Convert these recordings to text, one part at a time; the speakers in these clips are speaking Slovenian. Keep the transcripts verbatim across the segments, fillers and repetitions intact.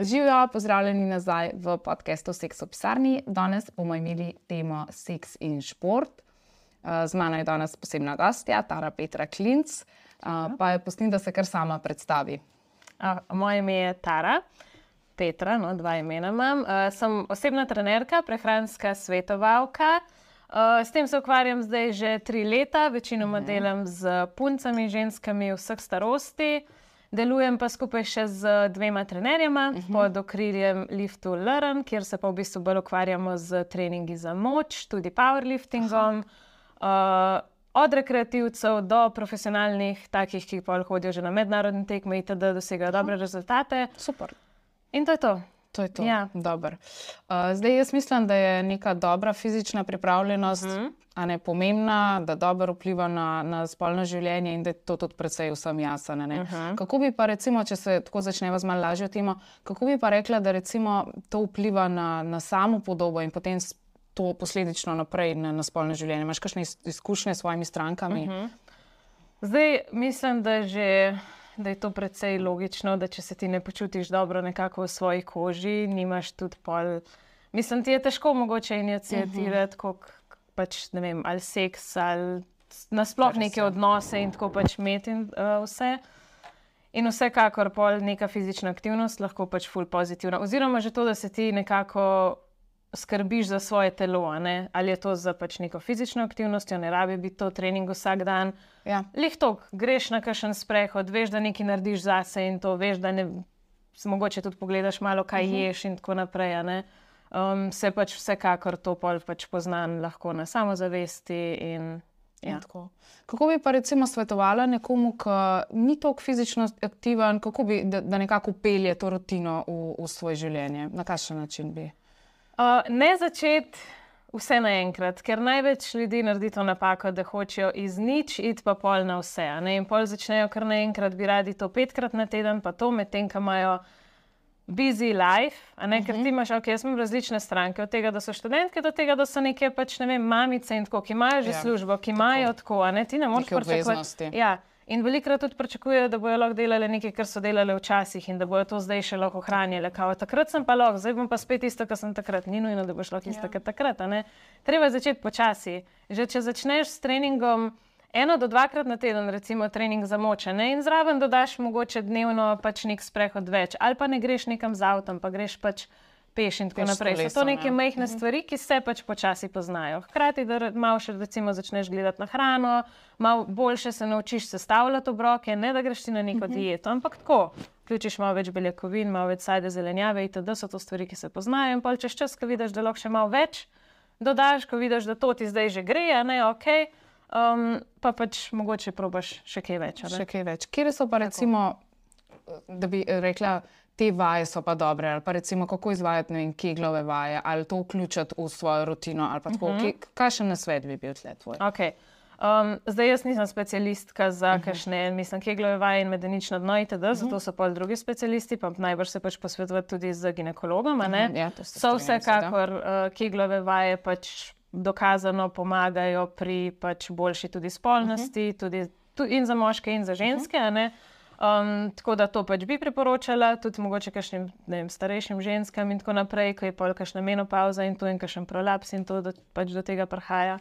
Živijo, pozdravljeni nazaj v podcastu Seks v pisarni. Danes bomo imeli temo seks in šport. Z mano je danes posebna gostja, Tara Petra Klinc, pa je pustim, da se kar sama predstavi. Moje ime je Tara Petra, no, dva imena imam. Sem osebna trenerka, prehranska svetovalka. S tem se ukvarjam zdaj že tri leta, večinoma delam z puncami, ženskami vseh starosti. Delujem pa skupaj še z dvema trenerjema uh -huh. pod okriljem Lift to Learn, kjer se pa v bistvu bolj ukvarjamo z treningi za moč, tudi powerliftingom, uh, od rekreativcev do profesionalnih, takih, ki pa hodijo že na mednarodne tekme itd., dosegajo dobre rezultate. Super. In to je to. To je to, ja. Dober. Uh, zdaj jaz mislim, da je neka dobra fizična pripravljenost uh -huh. a ne, pomembna, da dobro vpliva na, na spolno življenje in da je to tudi precej vsem jasno. Uh -huh. Kako bi pa recimo, če se tako začneva z malo lažjo temo, kako bi pa rekla, da recimo to vpliva na, na samo podobo in potem to posledično naprej na, na spolno življenje? Imaš kakšne izkušnje s svojimi strankami? Uh -huh. Zdaj mislim, da že... da je to precej logično, da če se ti ne počutiš dobro nekako v svoji koži, nimaš tudi pol... Mislim, ti je težko mogoče iniciatirati, uh -huh. koliko pač, ne vem, ali seks, ali nasploh neke odnose in tako pač imeti uh, vse. In vsekakor pol neka fizična aktivnost lahko pač ful pozitivna. Oziroma že to, da se ti nekako skrbiš za svoje telo, a ne? Ali je to za pač neko fizično aktivnost, ne rabi biti to trening vsak dan. Ja. Lih tok, greš na kakšen sprehod, veš, da nekaj narediš zase in to veš, da ne, mogoče tudi pogledaš malo, kaj uh -huh. ješ in tako naprej, a ne. Um, se pač vsekakor to pol pač poznan lahko na samozavesti in ja. In tako. Kako bi pa recimo svetovala nekomu, ki ni toliko fizično aktiven, kako bi, da, da nekako pelje to rutino v, v svoje življenje? Na kakšen način bi? Uh, ne začeti vse naenkrat, ker največ ljudi naredi to napako, da hočejo iz nič iti pa pol na vse. A ne? In pol začnejo kar naenkrat, bi radi to petkrat na teden, pa to medtem, ko imajo busy life, a ne? Uh -huh. Ker ti imaš, ok, jaz imam različne stranke, od tega, da so študentke, do tega, da so neke pač, ne vem, mamice in tako, ki imajo že ja, službo, ki imajo tako, a ne, ti ne moreš pričakovati. Ja. In velikrat tudi pričakujejo, da bojo lahko delali nekaj, kar so delali včasih in da bojo to zdaj še lahko ohranjali. Kao, takrat sem pa lahko, zdaj bom pa spet isto, kar sem takrat. Ni nujno, da boš lahko isto, ja. Kar takrat. A ne? Treba je začeti počasi. Že če začneš s treningom eno do dvakrat na teden, recimo trening za moč, ne? In zraven dodaš mogoče dnevno pač nek sprehod več. Ali pa ne greš nekam z avtom, pa greš pač peš in tako naprej. So to neke majhne stvari, ki se pač počasi poznajo. Hkrati, da malo še recimo začneš gledati na hrano, malo boljše se naučiš sestavljati obroke, ne da greš ti na neko dieto, ampak tako. Vključiš malo več beljakovin, malo več sajde, zelenjave itd. So to stvari, ki se poznajo in pol čez čas, ko vidiš, da lahko še malo več dodaš, ko vidiš, da to ti zdaj že gre, a ne, ok, um, pa pač mogoče probaš še kaj več. Še kaj več. Kjer so pa recimo, da bi rekla, te vaje so pa dobre, ali pa recimo kako izvajati, ne vem, keglove vaje, ali to vključiti v svojo rutino, ali pa tako, uh -huh. kakšen nasvet bi bil tle tvoj? Ok, um, zdaj jaz nisem specialistka za uh -huh. kakšne, mislim, keglove vaje in medenično dno itd., uh -huh. zato so pol drugi specialisti, pa najbrž se pač posvetovati tudi z ginekologom, a ne? Uh -huh. Ja, so vsekakor uh, keglove vaje pač dokazano pomagajo pri pač boljši tudi spolnosti, uh -huh. tudi, tudi in za moške in za ženske, uh -huh. a ne? Um, tako da to pač bi priporočala, tudi mogoče kakšnim, ne vem, starejšim ženskam in tako naprej, ko je pol kakšna menopauza in to in kakšen prolaps in to da, pač do tega prihaja.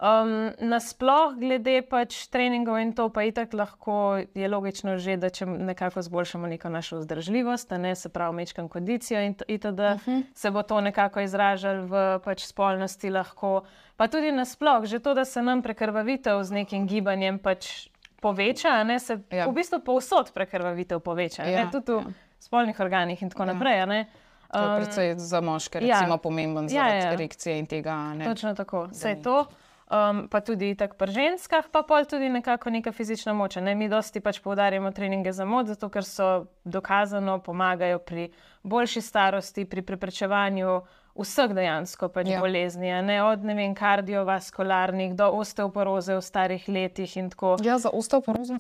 Um, nasploh glede pač treningov in to pa itak lahko je logično že, da če nekako zboljšamo neko našo vzdržljivost, a ne, se pravi mečkam kondicijo in itd., uh -huh. se bo to nekako izražalo v pač spolnosti lahko. Pa tudi nasploh, že to, da se nam prekrvavitev z nekim gibanjem pač poveča, a ne, se ja. v bistvu povsod prekrvavitev poveča, ja, ne, tudi v ja. spolnih organih in tako ja. naprej, a ne. To je predvsej za moške, recimo, ja. pomemben zaradi ja, ja. erekcije in tega, ne. Točno tako, vse je to. Um, pa tudi tak pri ženskah, pa pol tudi nekako neka fizična moč, ne. Mi dosti pač poudarjamo treninge za moč, zato ker so dokazano pomagajo pri boljši starosti, pri preprečevanju vseh dejansko pač ja. bolezni, a ne, od, ne vem, kardiovaskularnih do osteoporoze v starih letih in tako. Ja, za osteoporozo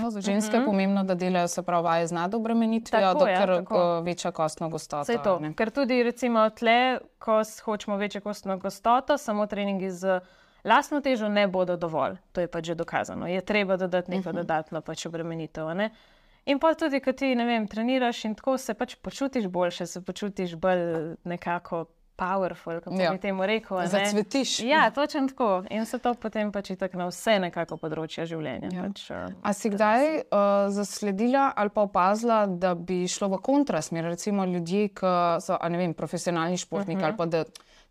za ženske je uh -huh. pomembno, da delajo, se pravi, vaje z nadobremenitvijo, dokler ja, večja kostno gostoto. Saj to, ne? Ker tudi recimo tle, ko hočemo večjo kostno gostoto, samo treningi z lastno težo ne bodo dovolj. To je pač že dokazano. Je treba dodati neko uh -huh. dodatno pač obremenitev, a ne. In pa tudi, ko ti, ne vem, treniraš in tako se pač počutiš boljše, se počutiš bolj nekako powerful, kako Ja. bi temu rekel. a ne. Zacvetiš. Ja, točno tako. In se to potem pač itak na vse nekako področja življenja. Ja. Pač, uh, A si kdaj uh, zasledila ali pa opazila, da bi šlo v kontrasmer, recimo ljudje, ki so, a ne vem, profesionalni športniki, uh -huh. ali pa da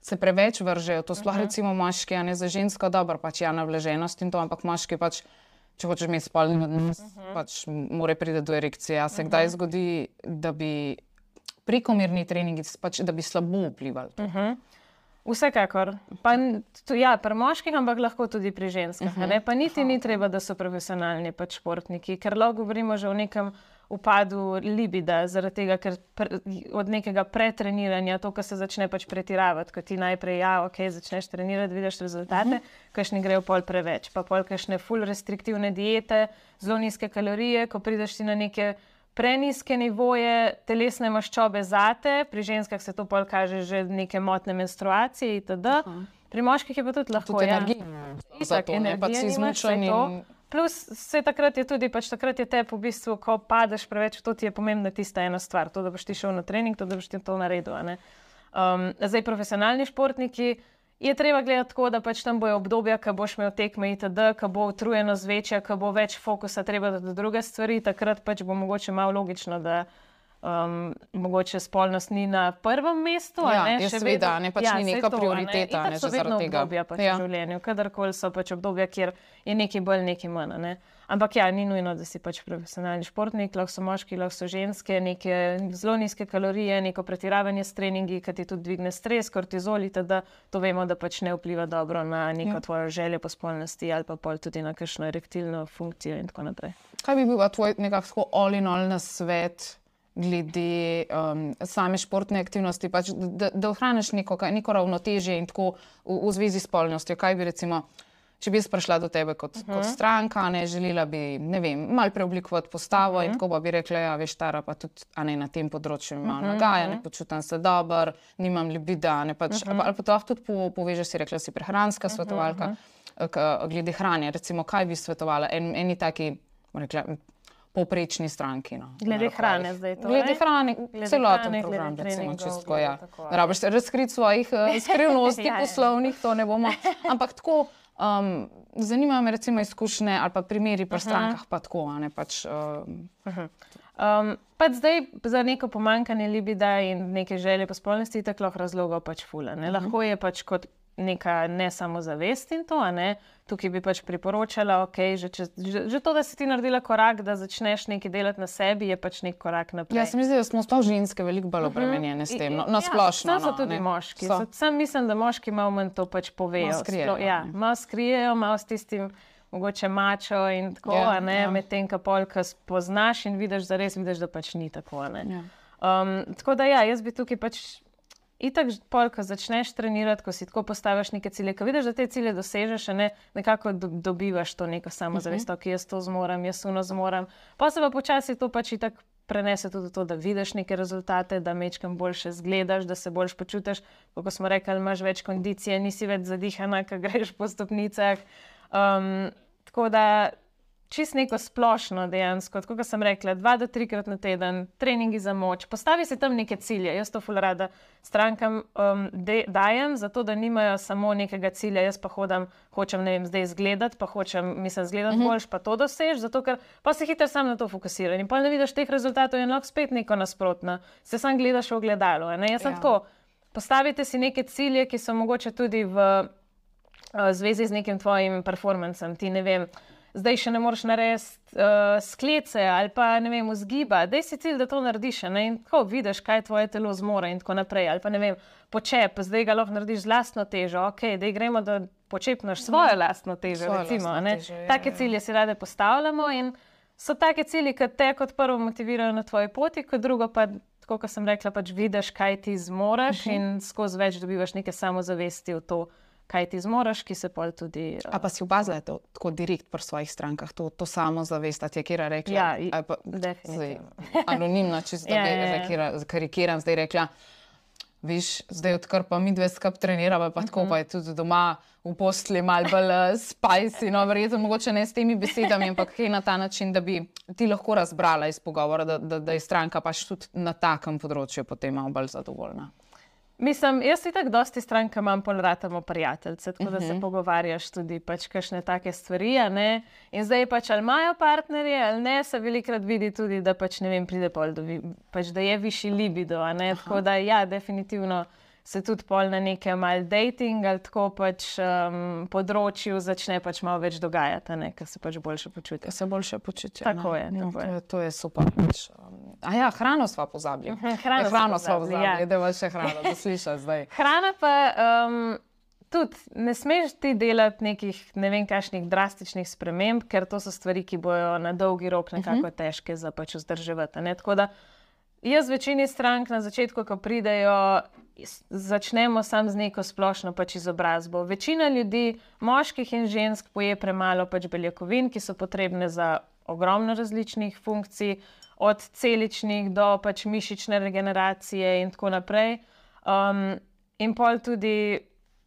se preveč vržejo, to sploh uh -huh. recimo moški, a ne za žensko, dobro, pač ja, navlaženost in to, ampak moški pač, če hočeš imeti spolni odnos, uh -huh. pač mora priti do erekcije. A se uh -huh. kdaj zgodi, da bi prekomerni treningi, pač, da bi slabo vplivali? uh -huh. Vsekakor. Pa, n- tu- ja, pri moških, ampak lahko tudi pri ženskah. Uh -huh. Pa niti ni treba, da so profesionalni pač športniki, ker lahko govorimo že o nekem upadu libida, zaradi tega, ker pre, od nekega pretreniranja, to, ko se začne pač pretiravati, ko ti najprej, ja, ok, začneš trenirati, vidiš rezultate, uh -huh. kakšni grejo pol preveč, pa pol kakšne ful restriktivne diete, zelo nizke kalorije, ko prideš ti na neke preniske nivoje telesne maščobe zate, pri ženskah se to pol kaže že neke motne menstruacije itd. Pri moških je pa tudi lahko, Tudi ja. energija. Itak, Zato, ne, energije pač si nimaš, izmučen saj to. in- Plus, se takrat je tudi, pač takrat je tep v bistvu, ko padeš preveč, to ti je pomembna tista ena stvar, to, da boš ti šel na trening, to, da boš ti to naredil, a ne. Um, zdaj, profesionalni športniki je treba gledati tako, da pač tam bojo obdobja, ko boš imel tekme itd., ko bo utrujenost večja, ko bo več fokusa treba dati na druge stvari, takrat pač bo mogoče malo logično, da um, mogoče spolnost ni na prvem mestu, a Ja, ne, je še seveda, vedno- ne, pač ja, ni saj neka to, a prioriteta, Itak ne, so že zaradi vedno tega. obdobja pač Ja. v življenju, kadarkoli so pač obdobja, kjer je nekaj bolj, nekaj manj, a ne. Ampak ja, ni nujno, da si pač profesionalni športnik, lahko so moški, lahko so ženske, neke zelo nizke kalorije, neko pretiravanje s treningi, ki ti tudi dvigne stres, kortizol itd. To vemo, da pač ne vpliva dobro na neko Ja. tvojo željo po spolnosti ali pa pol tudi na kakšno erektilno funkcijo in tako naprej. Kaj bi bil pa tvoj nekako all in all nasvet glede um, same športne aktivnosti, pač, da, da ohraniš neko, kaj- neko ravnotežje in tako v, v zvezi s spolnostjo? Kaj bi recimo, če bi jaz prišla do tebe kot, uh -huh. kot stranka, ne, želela bi, ne vem, malo preoblikovati postavo uh -huh. in tako pa bi rekla, ja, veš, Tara, pa tudi, a ne, na tem področju imam uh -huh. nagaja, ne počutim se dobro, nimam libida, ne pač, uh -huh. ali pa to lahko tudi po, povežeš, si rekla, si prehranska svetovalka, uh -huh. glede hrane, recimo, kaj bi svetovala en, eni taki, bom rekla, povprečni stranki. No, Glede hrane zdaj to, Glede ne? hrane, Glede celoten hrane, program, glede recimo, treningov, čisto, glede ja. tako, Ne rabiš razkriti svojih uh, skrivnosti Ja, ja. poslovnih, to ne bomo, ampak tako, um, zanimajo me recimo izkušnje ali pa primeri pri strankah, pa tako, a ne pač. Um, Um, pač zdaj za neko pomanjkanje libida in neke želje po spolnosti tako lahko razlogov pač fula. Ne? Lahko je pač kot neka ne samozavest in to, a ne. Tukaj bi pač priporočala, ok, že, čez, že, že to, da si ti naredila korak, da začneš nekaj delati na sebi, je pač nek korak naprej. ja, se mi zdi, da smo sploh ženske veliko bolj obremenjene s tem, no, na splošno. Ja, so no, tudi ne. moški. So. Sam mislim, da moški malo manj to pač povejo. Malo skrijejo, Sploh- ja, ne. malo skrijejo, malo s tistim mogoče mačo in tako, Ja, a ne, ja. medtem ko pol, ko spoznaš in vidiš, da res vidiš, da pač ni tako, a ne. Ja. Um, tako da ja, jaz bi tukaj pač itak pol, ko začneš trenirati, ko si tako postaviš neke cilje, ko vidiš, da te cilje dosežeš, a ne, nekako do, dobivaš to neko samozavest, ok, jaz to zmorem, jaz uno zmorem. Pa se pa počasi to pač itak prenese tudi v to, da vidiš neke rezultate, da mečkam boljše zgledaš, da se boljš počutiš, kot smo rekli, imaš več kondicije, nisi več zadihana, ko greš po stopnicah. Um, tako da čist neko splošno dejansko, tako kot sem rekla, dva do trikrat na teden, treningi za moč, postavi si tam neke cilje. Jaz to ful rada strankam um, de, dajem, zato da nimajo samo nekega cilja, jaz pa hodam, hočem, ne vem, zdaj izgledati, pa hočem, mislim, zgledati uh-huh. boljš, pa to dosež, zato ker pa se hitro sam na to fokusiraš in pa ne vidiš teh rezultatov in lahko spet neko nasprotno. Se sam gledaš v ogledalo. Ne? Jaz sem Ja. tako, postavite si neke cilje, ki so mogoče tudi v v zvezi z nekim tvojim performancem, ti ne vem, zdaj še ne moreš narediti uh, sklece ali pa ne vem, vzgiba, daj si cilj, da to narediš, ne? In tako vidiš, kaj tvoje telo zmore in tako naprej, ali pa ne vem, počep, zdaj ga lahko narediš z lastno težo, ok, daj gremo, da počepnaš svojo lastno težo, Svojo recimo, lastno ne? težo, ja, Take ja. cilje si rade postavljamo in so take cilji, ki te kot prvo motivirajo na tvoji poti, kot drugo pa, tako kot sem rekla, pač vidiš, kaj ti zmoreš uh-huh. in skozi več dobivaš neke samozavesti v to, kaj ti zmoreš, ki se pol tudi... A pa si opazila to tako direkt pri svojih strankah, to, to samozavest, a ti je kera rekla? Ja, i- ali pa, definitivno. zdaj, anonimno, čisto, da Ja, bi ja, ja. rekla, karikiram, zdaj rekla, Viš, zdaj odkar pa mi dve skup trenirava, pa tako pa je tudi doma v postelji malo bolj uh, spicy, no, verjetno mogoče ne s temi besedami, ampak kaj na ta način, da bi ti lahko razbrala iz pogovora, da, da, da je stranka pač tudi na takem področju potem malo bolj zadovoljna. Mislim, jaz si tako dosti stranka imam pol ratamo prijateljce, tako da uh -huh. se pogovarjaš tudi pač kakšne take stvari, a ne? In zdaj pač ali imajo partnerje ali ne, se velikrat vidi tudi, da pač ne vem, pride pol, da, vi, pač, da je višji libido, a ne? Aha. Tako da ja, definitivno se tudi pol na nekem mal dating ali tako pač um, področju začne pač malo več dogajati, a ne? Ker se pač boljše počutijo. Se boljše počutijo. Tako je, no, tako je. To je super. Pač, um, a ja, hrano sva pozabili. Uh -huh, hrano hrano sva pozabili, pozabili ja. Da je še hrano, da sliša zdaj. Hrana pa um, tudi ne smeš ti delati nekih ne vem kakšnih drastičnih sprememb, ker to so stvari, ki bojo na dolgi rok nekako uh -huh. težke za pač vzdrževati. Ne? Tako da jaz večini strank na začetku, ko pridejo, začnemo sam z neko splošno pač izobrazbo. Večina ljudi, moških in žensk, poje premalo pač beljakovin, ki so potrebne za ogromno različnih funkcij, od celičnih do pač mišične regeneracije in tako naprej. Um, in pol tudi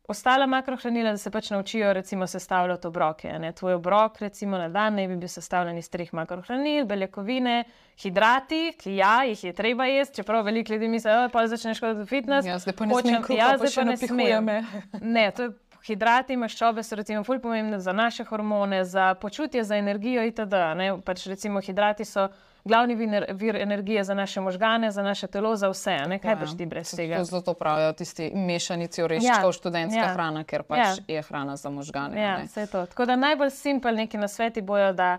ostala makrohranila, da se pač naučijo recimo sestavljati obroke. Ne? Tvoj obrok recimo na dan naj bi bil sestavljen iz treh makrohranil, beljakovine, hidrati, ki ja, jih je treba jesti, čeprav veliko ljudi misli, da pol začneš hoditi v fitness. Ja, zdaj pa ne smem kruha, pa še napihuje me. Ne, to je hidrati, maščobe so recimo ful pomembne za naše hormone, za počutje, za energijo itd. Ne? Pač recimo hidrati so glavni vir, vir energije za naše možgane, za naše telo, za vse. Ne? Kaj boš ti brez tega? To zelo pravijo tisti mešanici oreščkov, ja, študentska ja. hrana, ker pač ja. je hrana za možgane. Ja, vse to. Tako da najbolj simpel neki nasveti bojo, da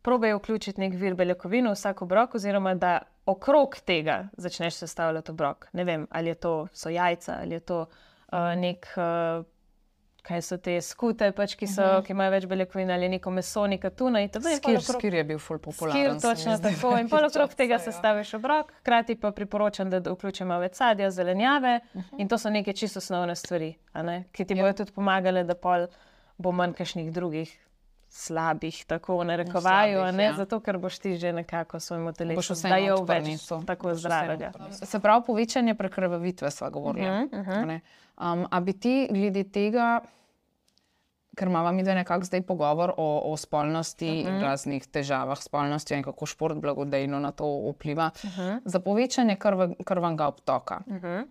probejo vključiti nek vir beljakovin v vsak obrok, oziroma da okrog tega začneš sestavljati obrok. Ne vem, ali je to so jajca, ali je to uh, nek... Uh, kaj so te skute, pač, ki, so, uh -huh. ki imajo več beljakovin, ali neko meso, neka tuna. Skir, okrog... skir je bil ful popularen. Skir, točno tako. In pol okrog tega ja. sestaviš obrok, hkrati pa priporočam, da vključimo več sadja, zelenjave uh -huh. in to so neke čisto osnovne stvari, a ne? Ki ti ja. bojo tudi pomagale, da pol bo manj kakšnih drugih slabih, tako narekovaju, a ne? Ja. Zato, ker boš ti že nekako svojemu telesu dajal več tako zdravega. Se pravi, povečanje prekrvavitve sva govorila. Uh -huh, uh -huh. Um, a bi ti glede tega, ker imamo mi da nekako zdaj pogovor o, o spolnosti uh -huh. in raznih težavah spolnosti in kako šport blagodejno na to vpliva, uh -huh. za povečanje krv, krvnega obtoka. Uh -huh.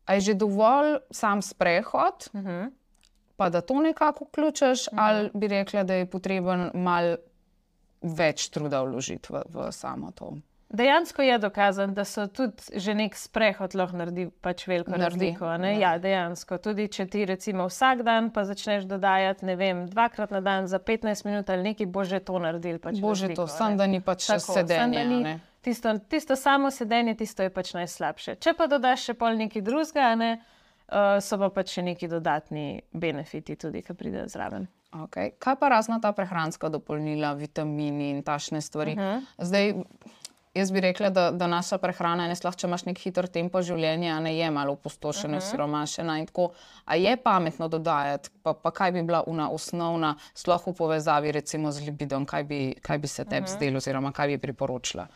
A je že dovolj sam sprehod, uh -huh. pa da to nekako vključiš, uh -huh. ali bi rekla, da je potreben malo več truda vložiti v, v samo to? Dejansko je dokazano, da so tudi že nek sprehod lahko naredi pač veliko naredi. razliko. Ne? Ja, dejansko. Tudi če ti recimo vsak dan pa začneš dodajati, ne vem, dvakrat na dan za petnajst minut ali nekaj, bo že to naredil pač bo že to, sam da ni pač tako, sedenje. Ni, ne? Tisto, tisto samo sedenje, tisto je pač najslabše. Če pa dodaš še pol nekaj drugega, ne, uh, so pa pač še neki dodatni benefiti tudi, ki pridejo zraven. Okay. Kaj pa razna ta prehranska dopolnila, vitamini in tašne stvari? Uh -huh. Zdaj, jaz bi rekla, da, da naša prehrana, ne sploh, če imaš nek hiter tempo življenja, ne je malo opustošena, uh -huh. siromašena in tako. A je pametno dodajati, pa, pa kaj bi bila una osnovna, sploh v povezavi recimo z libidom, kaj bi, kaj bi se tebi uh -huh. zdelo oziroma kaj bi priporočila?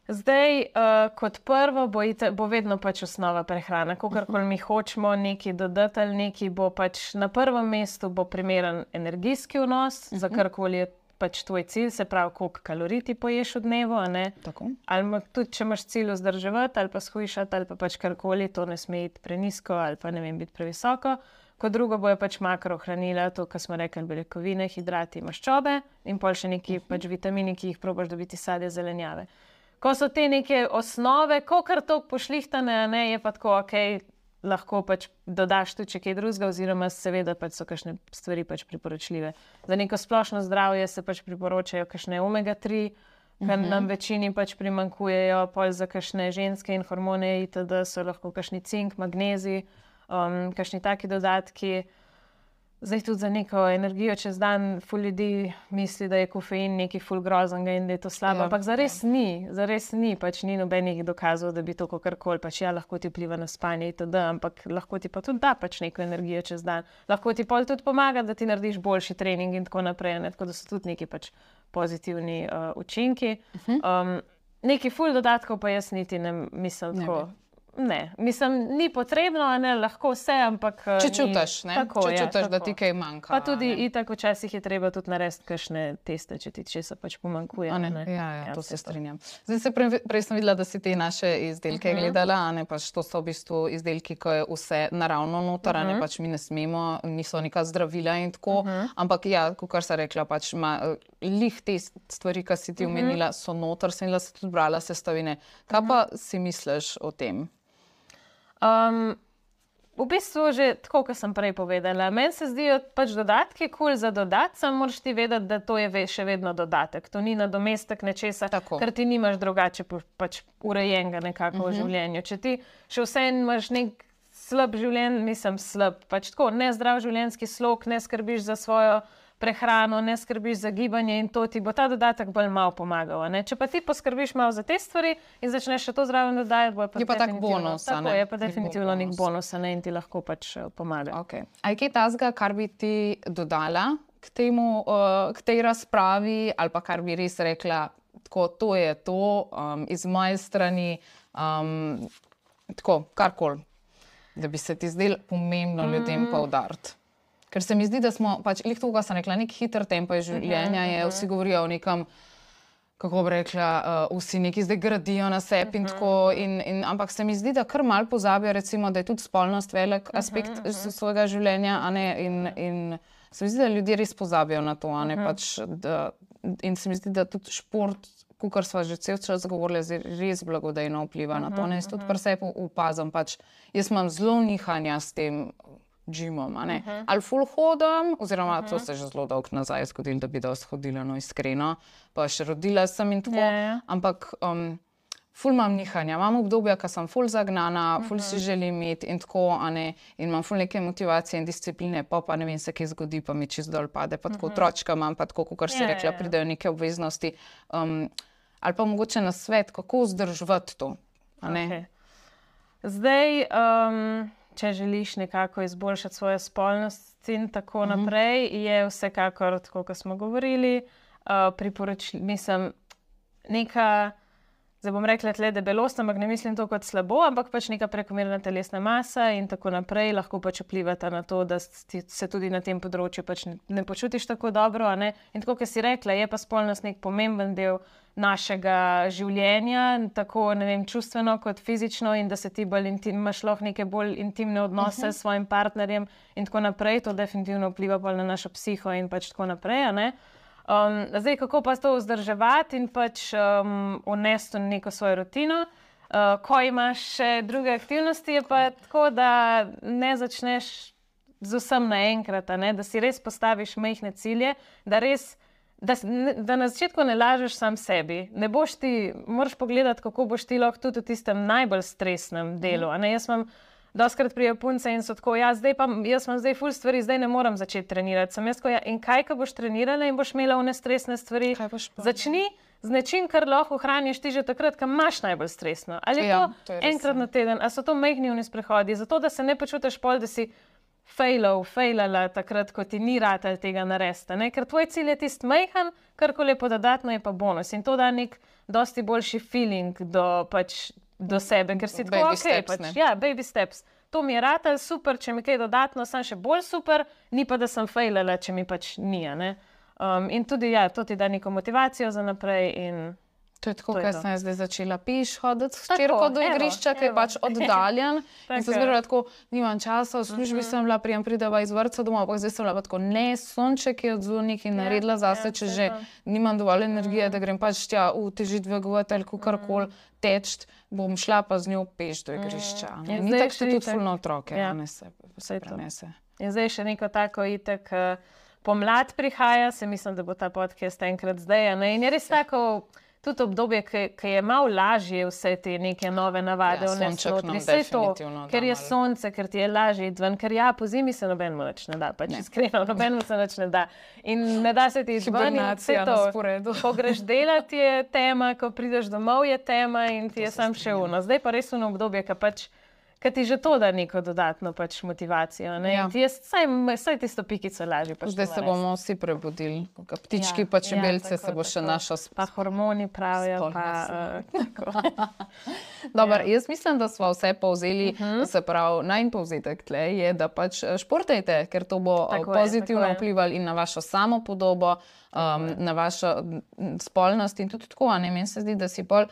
Zdaj, uh, kot prvo bo, ite, bo vedno pač osnova prehrana. Kakorkoli mi hočemo nekaj dodati ali nekaj, bo pač na prvem mestu bo primeren energijski vnos, uh -huh. za karkoli je pač tvoj cilj, se pravi, koliko kalorij ti poješ v dnevu, a ne? Tako. Ali tudi, če imaš cilj vzdrževati ali pa shujšati ali pa pač karkoli, to ne sme iti prenisko ali pa ne vem, biti previsoko. Kot drugo bojo pač makrohranila, to, kar smo rekli, beljakovine, hidrati, maščobe in pol še neki uh -huh. pač vitamini, ki jih probaš dobiti sadje, zelenjave. Ko so te neke osnove, kokar toliko pošlihtane, ne, je pa tako, ok, lahko pač dodaš tudi če kaj drugega, oziroma seveda pač so kakšne stvari pač priporočljive. Za neko splošno zdravje se pač priporočajo kakšne omega tri, kar uh -huh. nam večini pač primankujejo, pol za kakšne ženske in hormone itd. So lahko kakšni cink, magnezij, um, kakšni taki dodatki. Zdaj tudi za neko energijo čez dan ful ljudi misli, da je kofein nekaj ful groznega in da je to slabo, ja, ampak zares ja. ni, zares ni, pač ni nobenih dokazov, da bi to kakorkoli, pač ja, lahko ti vpliva na spanje itd., ampak lahko ti pa tudi da pač neko energijo čez dan. Lahko ti pol tudi pomaga, da ti narediš boljši trening in tako naprej, ne? Tako da so tudi neki pač pozitivni uh, učinki. Uh -huh. um, neki ful dodatkov pa jaz niti ne mislim tako. ne. Mislim, ni potrebno, a ne, lahko vse, ampak Če ni- čutiš, ne? Tako, Če ja, čutiš, da tako. ti kaj manjka. Pa tudi ne. itak včasih je treba tudi narediti kakšne teste, če ti česa pač pomanjkuje. A ne? ne. Ja, ja, to vse se strinjam. Zdaj se prej, prej sem videla, da si te naše izdelke uh -huh. gledala, a ne pač to so v bistvu izdelki, ko je vse naravno noter, uh -huh. a ne pač mi ne smemo, niso neka zdravila in tako, uh -huh. ampak ja, kakor sem rekla, pač ima uh, lih te stvari, ki si ti omenila, uh -huh. so noter, sem jaz tudi brala sestavine. Kaj pa si misliš o tem? Um, v bistvu že tako, kot sem prej povedala, meni se zdijo pač dodatki kul cool za dodati, samo moraš ti vedeti, da to je ve, še vedno dodatek. To ni nadomestek nečesa, Tako. ker ti nimaš drugače po- pač urejenega nekako uh -huh. v življenju. Če ti še vseeno imaš nek slab življenj, mislim slab, pač tako nezdrav življenjski slog, ne skrbiš za svojo prehrano, ne skrbiš za gibanje in to ti bo ta dodatek bolj malo pomagal. a ne. Če pa ti poskrbiš malo za te stvari in začneš še to zraven dodajati, bo pa Je pa tak definitivno- bonus, a Tako, ne? je pa Je definitivno nek bonus. bonus, a ne, in ti lahko pač eh, pomaga. Okay. A je kaj tazga, kar bi ti dodala k, temu, uh, k tej razpravi, ali pa kar bi res rekla, tako, to je to, um, iz moje strani, um, tako, karkoli, da bi se ti zdelo pomembno ljudem mm. poudariti. Ker se mi zdi, da smo, pač, lih to, kar sem rekla, nek hiter tempo življenja je, vsi govorijo o nekem, kako bi rekla, uh, vsi neki zdaj gradijo na sebi in tako, in, in, ampak se mi zdi, da kar mal pozabijo, recimo, da je tudi spolnost velik aspekt uh -huh. svojega življenja, a ne, in, in se mi zdi, da ljudje res pozabijo na to, a ne, uh -huh. pač, da, in se mi zdi, da tudi šport, kar sva že cel čas govorili, zdaj res blagodejno vpliva uh -huh, na to, ne, jaz tudi pri sebi opazim, pač, jaz imam zelo nihanja s tem gymom, a ne, uh -huh. ali ful hodam, oziroma uh -huh. to se je že zelo dolgo nazaj zgodilo, da bi dosti hodila, no iskreno, pa še rodila sem in tako, Ja, ja. ampak um, ful imam nihanja, imam obdobja, ko sem ful zagnana, ful si želim imeti in tako, a ne, in imam ful neke motivacije in discipline, pa pa ne vem se, kaj zgodi, pa mi čist dol pade, pa tako otročka imam, pa tako, kakor si Ja, rekla, ja, ja. pridejo neke obveznosti, um, ali pa mogoče na svet, kako vzdrževati to, a ne. Okay. Zdaj, um, če želiš nekako izboljšati svojo spolnost in tako Mhm. naprej, je vsekakor, tako kot smo govorili, uh, priporočljivo, mislim, neka, zdaj bom rekla tle debelost, ampak ne mislim to kot slabo, ampak pač neka prekomerna telesna masa in tako naprej lahko pač vplivata na to, da ti se tudi na tem področju pač ne, ne počutiš tako dobro, a ne. In tako, kot si rekla, je pa spolnost nek pomemben del našega življenja, tako, ne vem, čustveno kot fizično, in da se ti bolj intim, imaš lahko neke bolj intimne odnose uh -huh. s svojim partnerjem in tako naprej, to definitivno vpliva bolj na našo psiho in pač tako naprej, a ne. Um, zdaj, kako pa to vzdrževati in pač um, vnesti v neko svojo rutino. Uh, ko imaš še druge aktivnosti, je pa tako, da ne začneš z vsem naenkrat, a ne, da si res postaviš majhne cilje, da res Da, da na začetku ne lažeš sam sebi. Ne boš ti, moraš pogledati, kako boš ti lahko tudi v tistem najbolj stresnem delu. A ne, jaz imam dostikrat pridejo punce in so tako, ja, zdaj pa, jaz imam zdaj ful stvari, zdaj ne morem začeti trenirati. Sem jaz tako, ja, in kaj, ko boš trenirala in boš imela one stresne stvari? Kaj boš pa? Začni z nečim, kar lahko ohraniš ti že takrat, ko imaš najbolj stresno. Ali je Ja, to, to je res, enkrat ja. na teden, ali so to majhni oni sprehodi, zato da se ne počutiš pol, da si failal, failala takrat, ko ti ni ratal tega narediti, ne? Ker tvoj cilj je tisti majhen, karkoli je pa dodatno, je pa bonus. In to da nek dosti boljši feeling do, pač, do sebe, ker si tako, Baby ok, steps, pač, ne. ja, baby steps. To mi je ratal, super, če mi kaj dodatno, sem še bolj super, ni pa, da sem failala, če mi pač ni, a ne. Um, in tudi, ja, to ti da neko motivacijo za naprej in To je tako, To je ker to. sem jaz zdaj začela peš hoditi s Tako, hčerko do evo, igrišča, ki je evo. pač oddaljen. In Tako sem je. zmerala tako, nimam časa, v službi sem bila, prijem prideva iz vrtca domov, ampak zdaj sem bila pa tako, ne, sonček je odzvonik in naredila zase, ja, če saj že to. nimam dovolj energije, da grem pač tja v teži dvigovati ali kakorkoli teč, bom šla pa z njo peš do igrišča. ne. In Ni zdaj tako, še še tudi itak- fulno otroke, ja. a ne se, se Saj to. prenese. In zdaj še neko tako itek uh, pomlad prihaja, se mislim, da bo ta podcast enkrat zdaj, a ne? In je res tako tudi obdobje, ki je malo lažje vse te neke nove navade Ja, vnesti sonček notri. nam Saj to, definitivno da ker je malo. sonce, ker ti je lažje iti ven, ker ja, po zimi se nobenemu nič ne da, pač iskreno, nobenemu se nič ne da. In ne da se ti iti ven in vse Hibernacija na to. sporedu. Ko greš delati je tema, ko prideš domov je tema in ti je sam še uno. Zdaj pa res uno obdobje, ki pač ker ti že to da neko dodatno pač motivacijo. Ja. Ti je saj, saj tisto pikico lažje. Pač zdaj se bomo vsi prebudili. Ptički ja, pa čebelce ja, tako, se bo še naša sp... Pa hormoni pravijo. Pa, uh, Dobar, ja. Jaz mislim, da smo vse povzeli, uh -huh. se pravi, najn povzetek tle je, da pač športajte, ker to bo tako pozitivno je, vplivalo in na vašo samopodobo, um, na vašo spolnost in tudi tako, a ne, meni se zdi, da si pol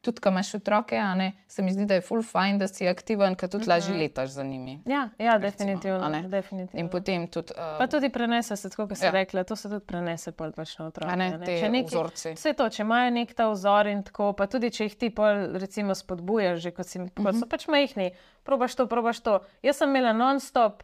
tudi, ko imaš otroke, a ne, se mi zdi, da je ful fajn, da si aktiven, ker tudi lažje letaš za njimi. Ja, ja definitivno, definitivno. In potem tudi... Uh, pa tudi prenese se, tako kot si ja. rekla, to se tudi prenese pol pač na otroke. A ne, te če neki, vzorci. Vse to, če imajo nek ta vzor in tako, pa tudi, če jih ti pol recimo spodbujaš, že kot, si, uh -huh. kot so pač majhni, probaš to, probaš to. Jaz sem imela non-stop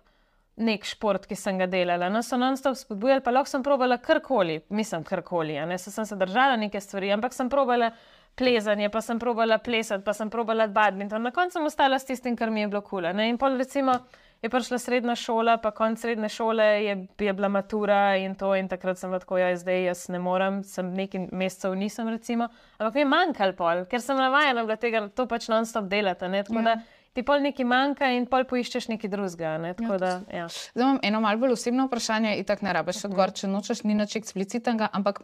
nek šport, ki sem ga delala. No, so non-stop spodbujali, pa lahko sem probala karkoli, mislim karkoli, a ne, se sem se držala neke stvari, ampak sem probala plezanje, pa sem probala plesati, pa sem probala badminton. Na koncu sem ostala s tistim, kar mi je bilo kul. In pol recimo je prišla srednja šola, pa konc srednje šole je, je bila matura in to in takrat sem bila tako, ja, zdaj jaz ne morem, sem nekaj mesecev nisem recimo, ampak mi je manjkal pol, ker sem navajena bila tega, to pač non-stop delati, ne, tako ja. da ti pol nekaj manjka in pol poiščeš nekaj drugega, ne, tako ja, da, ja. Zdaj imam eno malo bolj osebno vprašanje, itak ne rabiš odgovor, če nočeš, ni nič eksplicitnega, ampak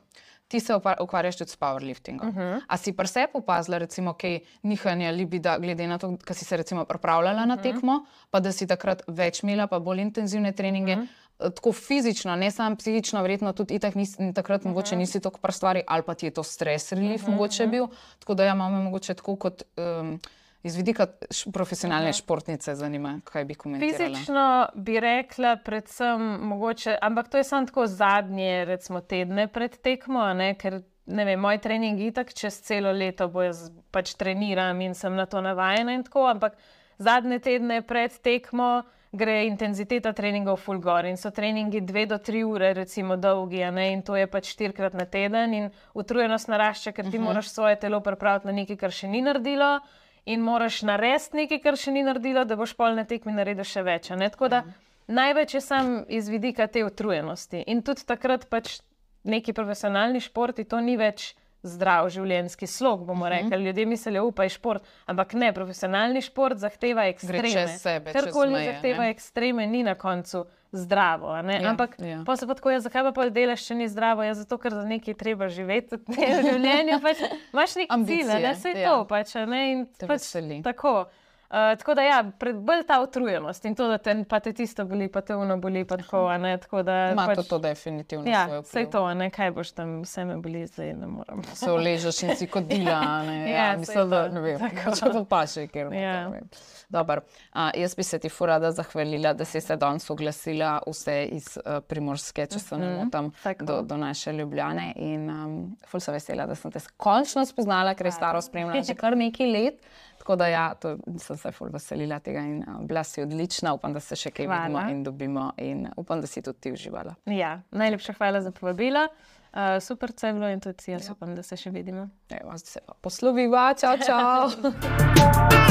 ti se ukvarjaš tudi s powerliftingom. Uh -huh. A si pri sebi opazila recimo kaj nihanja libida, glede na to, kad si se recimo pripravljala uh -huh. na tekmo, pa da si takrat več imela, pa bolj intenzivne treninge, uh -huh. tako fizično, ne samo psihično, verjetno tudi itak nisi, takrat uh -huh. mogoče nisi toliko pri stvari, ali pa ti je to stres relief uh -huh. mogoče bil, tako da ja, imamo mogoče tako kot... Um, iz vidika profesionalne športnice zanima, kaj bi komentirala? Fizično bi rekla predvsem mogoče, ampak to je samo tako zadnje, recimo tedne pred tekmo, ne, ker ne vem, moj trening itak čez celo leto bo jaz pač treniram in sem na to navajena in tako, ampak zadnje tedne pred tekmo gre intenziteta treningov ful gor in so treningi dve do tri ure recimo dolgi, a ne, in to je pač štirikrat na teden in utrujenost narašča, ker ti uh -huh. moraš svoje telo pripraviti na nekaj, kar še ni naredilo, in moraš narediti nekaj, kar še ni naredilo, da boš pol na tekmi naredil še več. Ne? Tako da največ je sam iz vidika te utrujenosti. In tudi takrat pač neki profesionalni športi, to ni več zdrav življenjski slog, bomo rekli. Ljudje mislijo, upaj šport, ampak ne, profesionalni šport zahteva ekstreme. Gre čez sebe, čez Karkoli meje. zahteva ne? ekstreme, ni na koncu zdravo. A ne? Ja, ampak ja. pa se pa tako, ja, zakaj pa pol delaš, če ni zdravo? Ja, zato, ker za nekaj treba živeti v življenju. Pač, imaš nek cilj, ne? Vse je ja. to pač. Ne? In te pač veseli. Tako. Uh, tako da ja, pred, bolj ta utrujenost in to, da te, pa te tisto boli, pa te ono boli, pa tako, a ne, tako da... Ima pač, to, to definitivno ja, svoj vpliv. Sej to, a ne, kaj boš tam, vse me boli, zdaj ne moram. Se uležeš in si kot dila, a ne, ja, ja mislim, da, ne vem, če pa paše, ker ja. ne Dobar, uh, jaz bi se ti ful rada zahvalila, da si se danes oglasila vse iz uh, Primorske, če se ne motim, do, do naše Ljubljane in um, ful se vesela, da sem te končno spoznala, ker je staro spremljala že kar nekaj let. Tako da ja, to sem se ful veselila tega in uh, bila si odlična, upam, da se še kaj hvala. vidimo in dobimo in upam, da si tudi ti uživala. Ja, najlepša hvala za povabilo, uh, super se je bilo in tudi jaz ja. upam, da se še vidimo. Evo, zdaj se pa posloviva, čau, čau!